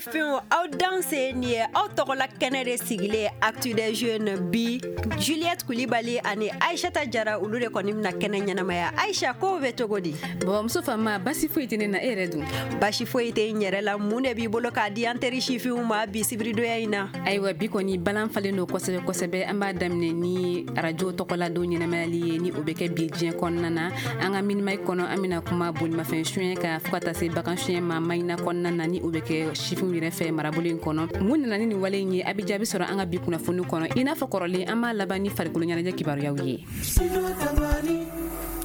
Sifinw, aw danse. Nin ye aw tɔgɔla kɛnɛ de sigilen, Actu des Jeunes. Bi, Juliette Kulibali ani Aishata Jara, olu de kɔni bɛna kɛnɛ ɲɛnamaya. Aisha, kow bɛ cogo di? Babamuso Fama, basi foyi tɛ ne na. E yɛrɛ dun? Basi foyi tɛ n yɛrɛ la. Mun de b'i bolo k'a di an teri sifinw ma bi sibiridonya in na? Ayiwa, bi kɔni balan falen don kosɛbɛ kosɛbɛ. An b'a daminɛ ni arajo tɔgɔladon ɲɛnamayali ye, ni o bɛ kɛ bi diɲɛ kɔnɔna na. An ka Mini Mag kɔnɔ, an bɛna kuma bolimafɛn suɲɛ kan fo ka taa se bagan suɲɛ ma Maɲina kɔnɔna na, ni o bɛ kɛ sifinw yɛrɛ fɛ marabolo in kɔnɔ. Mun nana ni nin wale in ye? A bɛ jaabi sɔrɔ an ka bi kunnafoni kɔnɔ. I n'a fɔ kɔrɔlen, an b'a laban ni farikolo ɲɛnajɛ kibaruyaw ye.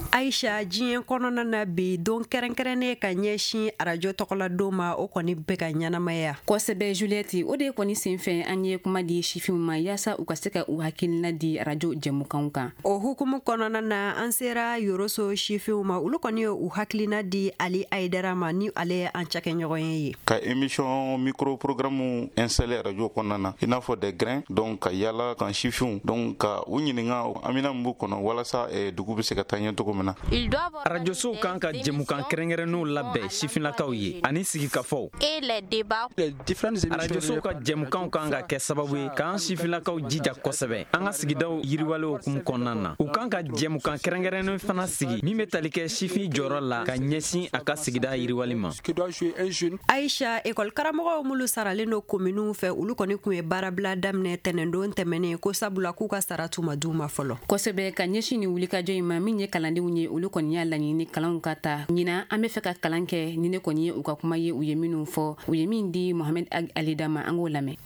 Aisha, diɲɛ kɔnɔna na bi, don kɛrɛnkɛrɛnnen ka ɲɛsin arajo tɔgɔladon ma, o kɔni bɛ ka ɲɛnamaya. Kosɛbɛ, Juliette. O de kɔni senfɛ, an ye kuma di sifinw ma yaasa u ka se ka u hakilina di arajo jɛmukanw kan. O hukumu kɔnɔna na, an sera Yoroso sifinw ma. Olu kɔni ye u hakilina di Ali Ayidara ma, ni ale ye an cakɛɲɔgɔn ye. Ka émission micro programme installé radio kɔnɔna na, i n'a fɔ des grains, donc ka yala kan sifinw, donc ka u ɲininka amina min b'u kɔnɔ walasa dugu bɛ se ka taa ɲɛ cogo min na. Arajosow kan ka jɛmukan kɛrɛnkɛrɛnnenw labɛn sifinlakaw ye ani sigikafɔw. Arajosow ka jɛmukanw kan ka kɛ sababu ye k'an sifinlakaw jija kosɛbɛ an ka sigidaw yiriwale hukumu kɔnɔna na. U kan ka jɛmukan kɛrɛnkɛrɛnnen fana sigi min bɛ tali kɛ sifin jɔyɔrɔ la ka ɲɛsin a ka sigida yiriwali ma. Aisha, ekɔli karamɔgɔw minnu saralen don kominiw fɛ, olu kɔni tun ye baarabila daminɛ tɛnɛndon tɛmɛnen, ko sabula k'u ka sara tun ma d'u ma fɔlɔ. Kosɛbɛ. Ka ɲɛsin nin wulikajɔ in ma, min ye kalandenw ye, olu kɔni y'a laɲini kalanw ka ta ɲinan. An bɛ fɛ ka kalan kɛ, ni ne kɔni ye u ka kuma ye, u ye minnu fɔ, u ye min di Mohamed Alida ma, an k'o lamɛn.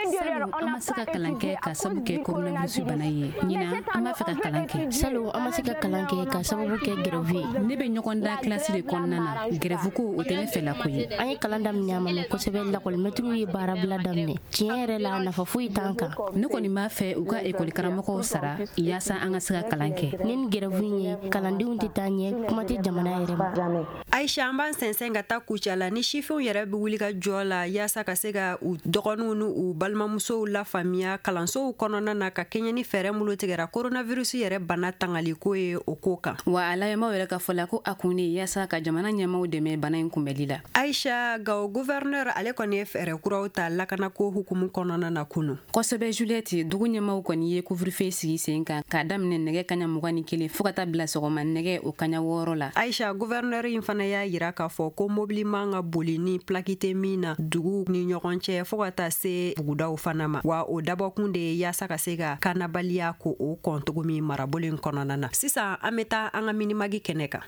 Salon, an ma se ka kalan kɛ ka sababu kɛ coronavirus bana ye. Ɲinan, an b'a fɛ ka kalan kɛ. Salon, an ma se ka kalan kɛ ka sababu kɛ grève ye. Ne bɛ ɲɔgɔn da kilasi de kɔnɔna na. Grève ko, o tɛ ne fɛla ko ye. An ye kalan daminɛ, a ma mɛn kosɛbɛ, lakɔlimɛtiriw ye baarabila daminɛ. Tiɲɛ yɛrɛ la, nafa foyi t'an kan. Ne kɔni b'a fɛ u ka ekɔli karamɔgɔw sara yaasa an ka se ka kalan kɛ. Ni nin grève in ye, kalandenw tɛ taa ɲɛ, kuma tɛ jamana yɛrɛ ma. Aisha, an b'an sɛnsɛn ka taa Kucala ni sifinw yɛrɛ bɛ wuli ka jɔ la yaasa ka se ka u dɔgɔninw ni u balimamusow lafaamuya kalansow kɔnɔna na, ka kɛɲɛ ni fɛɛrɛ minnu tigɛra coronavirus yɛrɛ bana tangaliko ye, o ko kan. Wa a layɛmaw yɛrɛ ka fɔ la ko a kun de yaasa ka jamana ɲɛmaw dɛmɛ bana in kunbɛli la. Aisha, Gawo gouverneur, ale kɔni ye fɛɛrɛ kuraw ta lakanako hukumu kɔnɔna na kunu. Kosɛbɛ, Juliette. Dugu ɲɛmaw kɔni ye couvre-feu sigi sen kan k'a daminɛ nɛgɛ kaɲa 21 fɔɔ ka taa bila sɔgɔma nɛgɛ o kaɲa 6 la. Aisha, gouverneur in fana y'a yira k'a fɔ ko mobili man ka boli ni plaque tɛ min na dugu ni ɲɔgɔn cɛ, fɔɔ ka taa se bugudaw fana ma. Wa o dabɔkun de ye yaasa ka se ka kanabaliya ko o kɔn cogo min marabolo in kɔnɔna na. Sisan, an bɛ taa an ka Mini Mag kɛnɛ kan.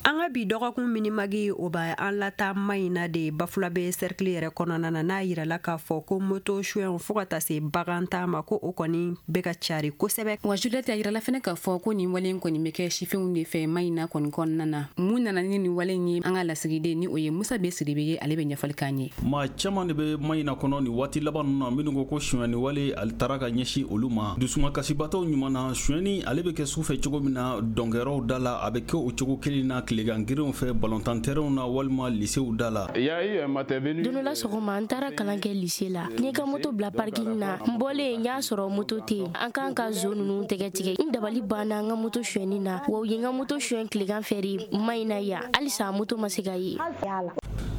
An ka bi dɔgɔkun Mini Mag, o b'a an lata Maɲina de, Bafulabe cercle yɛrɛ kɔnɔna na, n'a yirala k'a fɔ ko moto suɲɛw fɔɔ ka taa se bagan ta ma, ko o kɔni bɛ ka cari kosɛbɛ. Wa Juliette, a yirala fɛnɛ k'a fɔ ko nin wale in kɔni bɛ kɛ sifinw de fɛ Maɲina kɔni kɔnɔna na. Mun nana ni nin wale in ye? An ka lasigiden, ni o ye Musa B Sidibe ye, ale bɛ ɲɛfɔli k'an ye. Maa caman de bɛ Maɲina kɔnɔ nin waati laban ninnu na minnu ko ko sonyani wale ale taara ka ɲɛsin olu ma. Dusumakasibatɔw ɲuman na, sonyani ale bɛ kɛ su fɛ cogo min na dɔnkɛyɔrɔw da la, a bɛ kɛ o cogo kelen na tilegan gerinw fɛ balontan terrainw na walima lisew da la. Don dɔ la sɔgɔma, n taara kalan kɛ lycée la. N ye ka moto bila parking na. N bɔlen, n y'a sɔrɔ moto tɛ yen. An kan ka zo ninnu tɛgɛ tigɛ. N dabali banna n ka moto sonyɛni na. Wa u ye n ka moto sonyɛ tilegan fɛ de Maɲina yan. Halisa moto ma se ka ye.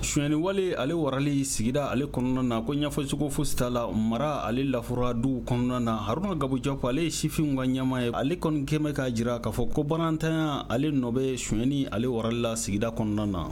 Sonyani wale ale warali sigida ale kɔnɔna na, ko ɲɛfɔcogo fosi t'a la. Mara ale lafura duw kɔnɔna na. Haruna Gabo Jɔp, ale ye sifinw ka ɲɛma ye, ale kɔni kɛmɛ k'a jira k'a fɔ ko barantanya ale nɔ bɛ sonyani ale warali la sigida kɔnɔna na.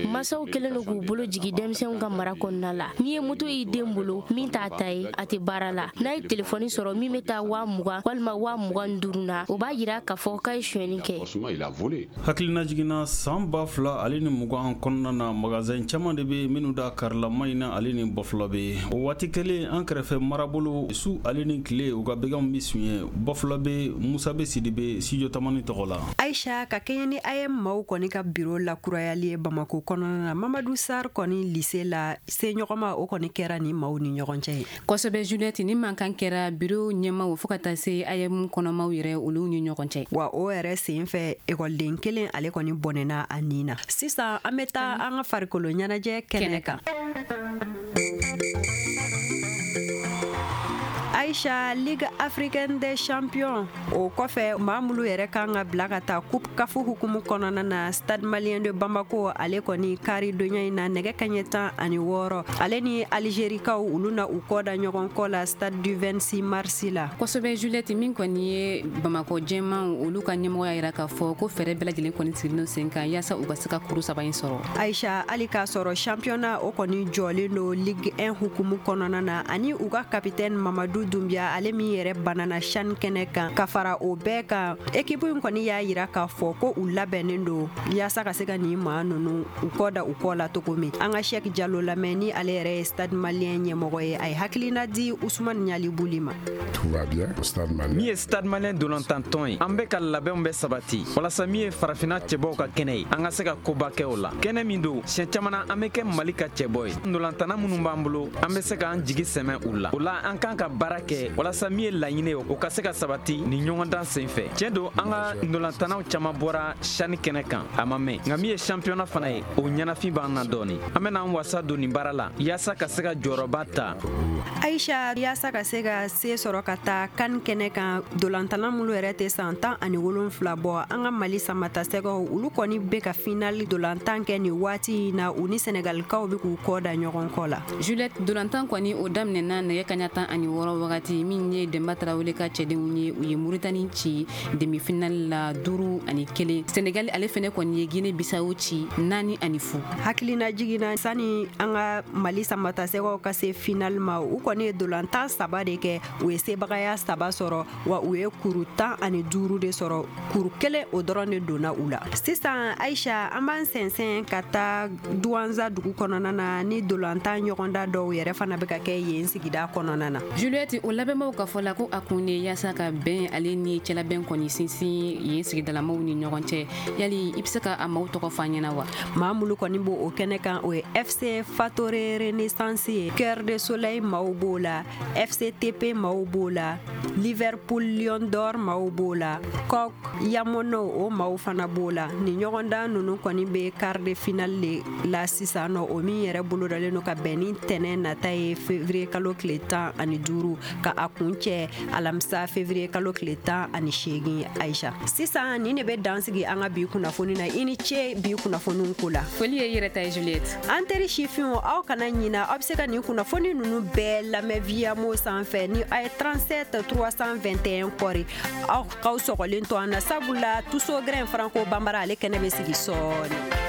Masaw kɛlen don k'u bolo jigin denmisɛnw ka mara kɔnɔna la. N'i ye moto y'i den bolo min t'a ta ye, a tɛ baara la, n'a ye telefɔni sɔrɔ min bɛ taa 20 000 walima 25 000 na, o b'a yira k'a fɔ k'a ye sonyɛni kɛ. Hakilina jiginna, san 2020 kɔnɔna na, magasin caman de bɛ minnu da karila Maɲina ale ni Bafulabe. O waati kelen, an kɛrɛfɛ marabolo, su ale ni tile, u ka baganw bɛ suɲɛ Bafulabe. Musa bɛ Sidibe, Studio Tamani tɔgɔ la. Aisha, ka kɛɲɛ ni AEEM maaw kɔni ka biro lakurayali ye Bamako kɔnɔna na, Mamadu Sar kɔni lycée la, seɲɔgɔnma o kɔni kɛra ni maaw ni ɲɔgɔn cɛ ye. Kosɛbɛ, Juliette. Ni mankan kɛra biro ɲɛmaw fɔɔ ka taa se AEEM kɔnɔmaw yɛrɛ, olu ni ɲɔgɔn cɛ. Wa o yɛrɛ sen fɛ, ekɔliden kelen, ale kɔni bɔnɛna a nin na. Sisan, an bɛ taa an ka farikolo ɲɛnajɛ kɛnɛ kan. Aïcha, Ligue africaine des champions o kɔfɛ, maa minnu yɛrɛ kan ka bila ka taa Coupe CAF hukumu kɔnɔna na, Stade Malien de Bamako, ale kɔni kari donya in na, nɛgɛ kaɲɛ 16, ale ni Algérikaw, olu na u kɔ da ɲɔgɔn kɔ la Stade du 26 mars la. Kosɛbɛ Juliette, min kɔni ye Bamakɔ jɛmanw, olu ka ɲɛmɔgɔ y'a yira k'a fɔ ko fɛɛrɛ bɛɛ lajɛlen kɔni sigilen sen kan yaasa u ka se ka kuru saba in sɔrɔ. Aïcha, hali k'a sɔrɔ championnat o kɔni jɔlen don Ligue 1 hukumu kɔnɔna na, ani u ka capitaine Mamadu Dunbiya, ale min yɛrɛ banana CHAN kɛnɛ kan, ka fara o bɛɛ kan, équipe in kɔni y'a yira k'a fɔ ko u labɛnnen don yaasa ka se ka nin maa ninnu u kɔ da u kɔ la cogo min. An ka Cheick Diallo lamɛn, ni ale yɛrɛ ye Stade Malien ɲɛmɔgɔ ye. A ye hakilina di Usumani Ɲalibuli ma. Min ye Stade Malien dolantantɔn ye, an bɛ ka labɛnw bɛ sabati walasa min ye farafinna cɛbɔw ka kɛnɛ ye, an ka se ka koba kɛ o la. Kɛnɛ min don, siɲɛ caman na an bɛ kɛ Mali ka cɛbɔ ye. Ndolantanna minnu b'an bolo, an bɛ se k'an jigi sɛmɛ u la. O la, an kan ka baara kɛ walasa min ye laɲini ye, o ka se ka sabati nin ɲɔgɔndan sen fɛ. Tiɲɛ don, an ka ndolantannaw caman bɔra CHAN kɛnɛ kan a ma mɛn, nka min ye championnat fana ye, o ɲɛnafin b'an na dɔɔni. An bɛna an wasa don nin baara la yaasa ka se ka jɔyɔrɔba ta. Aïcha, yaasa ka se ka se sɔrɔ ka taa CAN kɛnɛ kan, dolantanna minnu yɛrɛ tɛ san 17 bɔ, an ka Mali samatasɛgɛw, olu kɔni bɛ ka finali dolantan kɛ nin waati in na. U ni Sɛnɛgalikaw bɛ k'u kɔ da ɲɔgɔn kɔ la. Juliette, dolantan kɔni o daminɛna nɛgɛ kaɲa 16 wagati. Min ye Denba Tarawele ka cɛdenw ye, u ye Muritani ci demi finale la 5-1. Senegal, ale fɛnɛ kɔni ye Guinée Bissau ci 4-0. Hakilina jiginna, sani an ka Mali samatasɛgɛw ka se finale ma, u kɔni ye dolantan saba de kɛ. U ye sebagaya saba sɔrɔ, wa u ye kuru 15 de sɔrɔ. Kuru kelen o dɔrɔn de donna u la. Sisan Aïcha, an b'an sɛnsɛn ka taa Duwanza dugu kɔnɔna na, ni dolantan ɲɔgɔnda dɔw yɛrɛ fana bɛ ka kɛ yen sigida kɔnɔna na. Juliette, o labɛnbaw ka fɔ la ko a kun de yaasa ka bɛn ale ni cɛlabɛn kɔni sinsin yen sigidalamaw ni ɲɔgɔn cɛ. Yali i bɛ se ka a maaw tɔgɔ fɔ an ɲɛna wa? Maa minnu kɔni b'o o kɛnɛ kan, o ye FC Fatore Renaissance ye, Cœur de Soleil maaw b'o la, FCTP maaw b'o la, Liverpool Lion d'Or maaw b'o la, Kok Yamono o maaw fana b'o la. Nin ɲɔgɔndan ninnu kɔni bɛ quart de finale de la sisan nɔ, o min yɛrɛ bolodalen don ka bɛn ni tɛnɛn nata ye, février kalo tile 15, ka a kun cɛ alamisa février kalo tile 18. Aïcha, sisan nin de bɛ dan sigi an ka bi kunnafoni na. I ni ce bi kunnafoniw ko la. Foli ye yɛrɛ ta ye, Juliette. An teri sifinw, aw kana ɲina, aw bɛ se ka nin kunnafoni ninnu bɛɛ lamɛn Viamo sanfɛ ni a ye 37 321 kɔri. Aw k'aw sɔgɔlen to an na, sabula Tuso Grain Franco Bambara, ale kɛnɛ bɛ sigi sɔɔni.